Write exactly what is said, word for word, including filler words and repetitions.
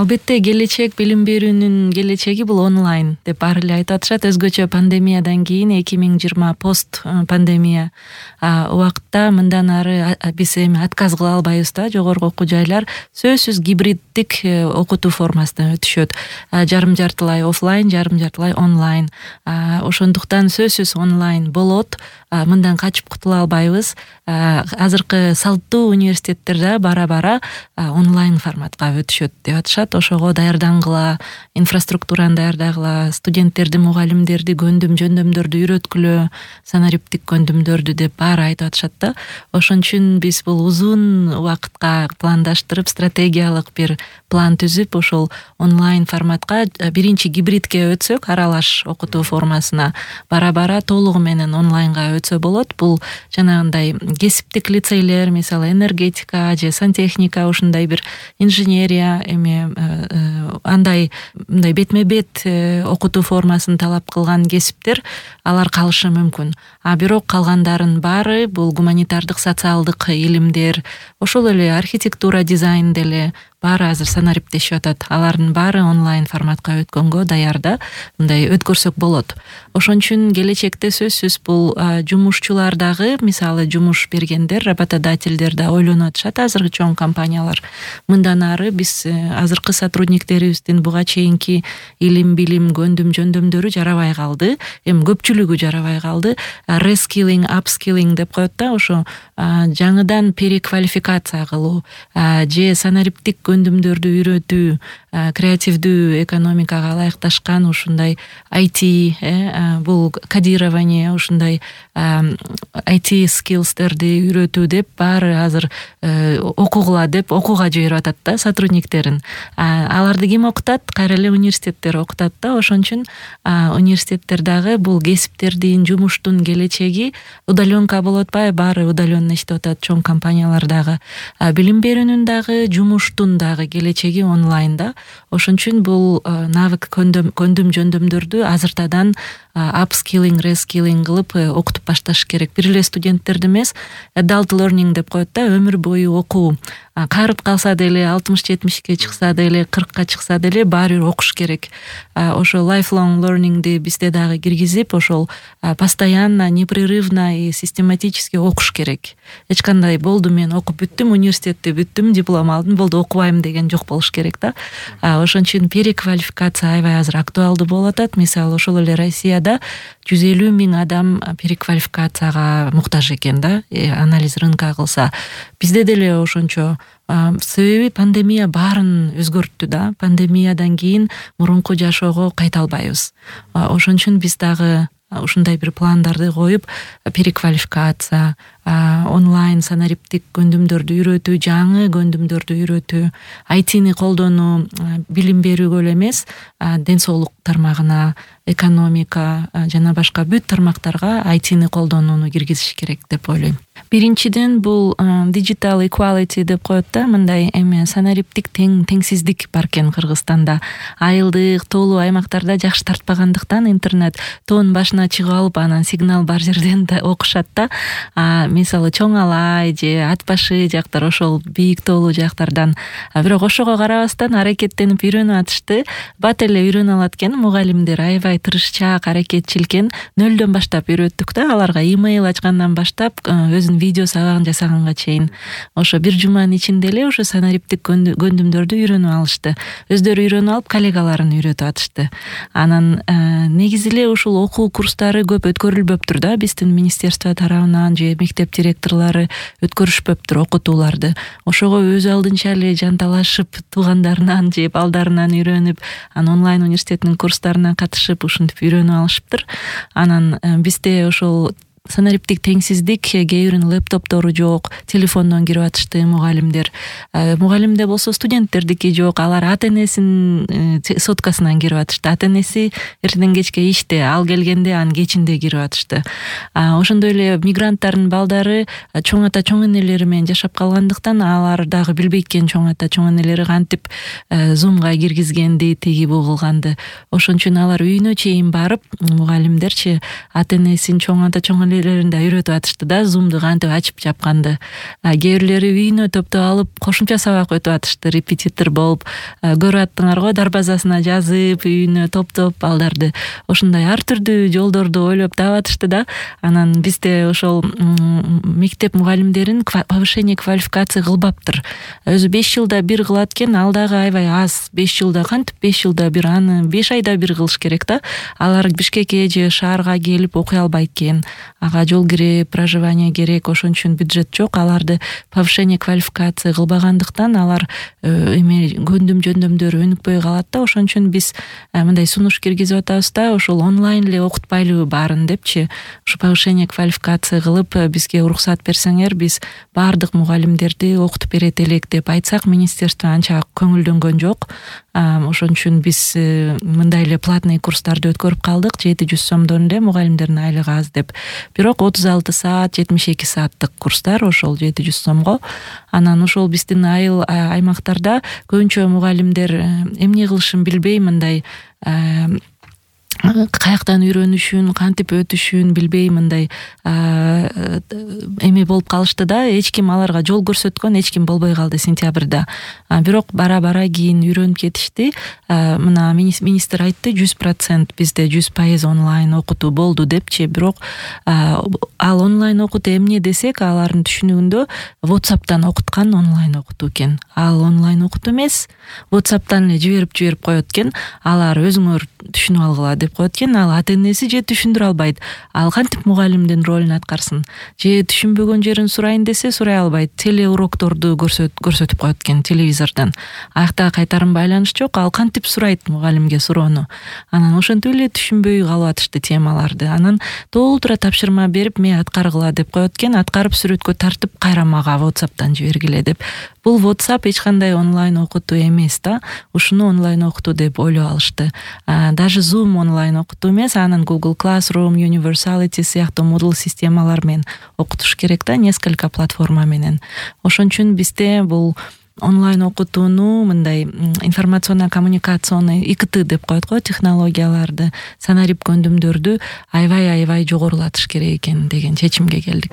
Албетте келечек, билим берүүнүн келечеги бул онлайн деп баары эле айтып атышат. Өзгөчө пандемиядан кийин эки миң жыйырма пост пандемия убакытта мындан ары биз эми отказ кыла албайбыз да. Жогорку окуу жайлар сөзсүз гибриддик окутуу формасына өтүшөт. Жарым жартылай офлайн, жарым жартылай онлайн. Ошондуктан сөзсүз онлайн болот. Мындан качып кутула албайбыз. Азыркы салттуу университеттер да бара-бара онлайн форматка өтүшөт деп атышат. Ошого даярдангыла, инфраструктураны даярдагыла, студенттерди, мугалимдерди көндүм жөндөмдөрдү үйрөткүлө, санариптик көндүмдөрдү деп баары айтып атышат да. Ошон үчүн биз бул узун убакытка пландаштырып, стратегиялык бир план түзүп, ошол онлайн форматка биринчи гибридке өтсөк, аралаш окутуу формасына бара-бара толугу менен онлайнга өтсө болот. Бул жанагындай кесиптик лицейлер, мисалы энергетика же сантехника, ушундай бир инженерия эми андай мындай бетме-бет окутуу формасын талап кылган кесиптер алар калышы мүмкүн. А бирок калгандарын баары бул гуманитардык, социалдык илимдер, ошол эле архитектура, дизайн деле баары азыр санариптешип атат. Алардын баары онлайн форматка өткөнгө даяр да, мындай өткөрсөк болот. Ошон үчүн келечекте сөзсүз бул жумушчулар дагы, мисалы жумуш бергендер, работодательдер да ойлонуп атышат, азыркы чоң компаниялар. Мындан ары биз азыркы сотрудниктерибиздин буга чейинки илим, билим, көндүм жөндөмдөрү жарабай калды. Эми көпчүлүгү жарабай калды. Reskilling, upskilling деп коет да, ошо жаңыдан переквалификация кылуу, же санариптик көндүмдөрдү үйрөтүү, креативдүү экономикага ылайыкташкан ушундай ай ти, бул кодирование, ушундай ай ти skillsтерди үйрөтүү деп баары азыр окугула деп окууга жиберип атат да сотрудниктерин. Аларды ким окутат? Кайра эле университеттер окутат да. Ошон үчүн университеттер дагы бул кесиптердин, жумуштун келечеги удалёнка болуп атпайбы? Баары удалённо иштеп атат чоң компаниялар дагы. Билим берүүнүн дагы, жумуштун дагы келечеги онлайн да. Ошон үчүн бул навык көндүм көндүм жөндөмдөрдү азыртадан upskilling, reskilling кылып окутуп башташ керек. Бир эле студенттерди эмес, adult learning деп коет да, өмүр бою окуу. Карып калса деле, алтымыш жетимишке чыкса деле, кыркка чыкса деле баары бир окуш керек. Ошо lifelong learningди бизде дагы киргизип, ошол постоянно, непрерывно и систематически окуш керек. Эч кандай болду мен окуп бүттүм, университетти бүттүм, диплом алдым, болду окубайм деген жок болуш керек да. Ошон үчүн переквалификация аябай азыр актуалдуу болуп атат. Мисалы ошол эле Россияда жүз элүү миң адам переквалификацияга муктаж экен да, анализ рынка кылса. Бизде деле ошончо. Себеби пандемия баарын өзгөрттү да. Пандемиядан кийин мурунку жашоого кайта албайбыз. Ошон үчүн биз дагы ушундай бир пландарды коюп, переквалификация, онлайн санариптик көндүмдөрдү үйрөтүү, жаңы көндүмдөрдү үйрөтүү, ай тини колдонуу, билим берүүгө эле эмес, ден соолук тармагына, экономика жана башка бүт тармактарга ай тини колдонууну киргизиш керек деп ойлойм. Биринчиден бул digital equality деп коет да, мындай эми санариптик тең теңсиздик бар экен Кыргызстанда. Айылдык, тоолуу аймактарда жакшы тартпагандыктан интернет тоонун башына чыгып алып, анан сигнал бар жерден да окушат да. Мисалы Чоң Алай же Ат башы жактар, ошол бийик тоолуу жактардан. Бирок ошого карабастан аракеттенип үйрөнүп атышты. Бат эле үйрөнө алат экен мугалимдер, аябай тырышчаак, аракетчил экен. Нөлдөн баштап үйрөттүк да, аларга имейл ачкандан баштап өзүнүн видео сабагын жасаганга чейин. Ошо бир жуманын ичинде эле ошо санариптик көндүмдөрдү үйрөнүп алышты. Өздөрү үйрөнүп алып, коллегаларын үйрөтүп атышты. Анан негизи эле ушул окуу курстары көп өткөрүлбөптүр да, биздин министерство тарабынан же мектеп директорлору өткөрүшпөптүр окутууларды. Ошого өз алдынча эле жанталашып, туугандарынан же балдарынан үйрөнүп, анан онлайн университеттин курстарына катышып, ушинтип үйрөнүп алышыптыр. Анан бизде ошол санариптик теңсиздик, кээ биринин лептоптору жок, телефондон кирип атышты мугалимдер. Мугалимде болсо студенттердики жок, алар ата-энесинин соткасынан кирип атышты. Ата-энеси эртеден кечке иште, ал келгенде анын кечинде кирип атышты. Ошондой эле мигранттардын балдары чоң ата чоң энелери менен жашап калгандыктан алар дагы билбейт экен чоң ата чоң энелери кантип зумга киргизгенди, тиги бу кылганды. Ошон үчүн алар үйүнө чейин барып, мугалимдерчи ата-энесин, чоң ата чоң мугалимдерин да үйрөтүп атышты да Zoom'ду кантип ачып жапканды. Кээ бирлери үйүнө топтоп алып кошумча сабак өтүп атышты, репетитор болуп. Көрүп аттыңар го, дарбазасына жазып, үйүнө топтоп балдарды ошондой ар түрдүү жолдорду ойлоп табатышты да. Анан бизде ошол мектеп мугалимдерин повышение квалификация кылбаптыр. Өзү беш жылда бир кылат экен, ал дагы аябай аз. беш жылда кантип беш жылда бир, аны беш айда бир кылыш керек да. Алар Бишкекке же шаарга келип окуй албайт экен. Ага жол кире, проживание керек, ошон үчүн бюджет жок. Аларды повышение квалификация кылбагандыктан алар эме көндүм жөндөмдөрү өнүкпөй калат да. Ошон үчүн биз мындай сунуш киргизип атабыз да, ошол онлайн эле окутпайлыбы баарын депчи. Ушу повышение квалификация кылып бизге уруксат берсеңер, биз баардык мугалимдерди окутуп берет элек деп айтсак, министерство анча көңүлдөнгөн жок. Ошон үчүн биз мындай эле платный курстарды өткөрүп калдык. жети жүз сомдон эле, мугалимдердин айлыгы аз деп. Бирок отуз алты саат, жетимиш эки сааттык курстар ошол жети жүз сомго. Анан ошол биздин айыл аймактарда көбүнчө мугалимдер эмне кылышын билбей, мындай каяктан үйрөнүшүн, кантип өтүшүн билбей мындай эме болуп калышты да. Эч ким аларга жол көрсөткөн эч ким болбой калды сентябрда. Бирок бара-бара кийин үйрөнүп кетишти. Мына министр айтты, жүз процент бизде жүз пайыз онлайн окутуу болду депчи. Бирок ал онлайн окутуу эмне десек, алардын түшүнүгүндө WhatsApp'тан окуткан онлайн окутуу экен. Ал онлайн окутуу эмес, WhatsApp'тан эле жиберип жиберип коет экен. Алар өзүңөр түшүнүп алгыла деп коет экен. Ал ата энеси же түшүндүрө албайт. Ал кантип мугалимдин ролун аткарсын? Же түшүнбөгөн жерин сурайын десе сурай албайт. Теле урокторду көрсөтүп коет экен телевизордон. Аякта кайтарым байланыш жок. Ал кантип сурайт мугалимге суроону? Анан ошентип эле түшүнбөй калып атышты темаларды. Анан толтура тапшырма берип, мен аткаргыла деп коет экен. Аткарып сүрөткө тартып кайра мага WhatsApp'тан жибергиле деп. Бул WhatsApp эч кандай онлайн окутуу эмес да. Ушуну онлайн окутуу деп ойлоп алышты. Даже Zoom онлайн окутуу эмес, анын Google Classroom, Universality сыяктуу Moodle системалар менен окутуш керек да, несколько платформа менен. Ошон үчүн бизде бул онлайн окутууну мындай информационно коммуникационный ай кей ти деп коет го, технологияларды, санарип көндүмдөрдү аябай аябай жогорулатыш керек экен деген чечимге келдик.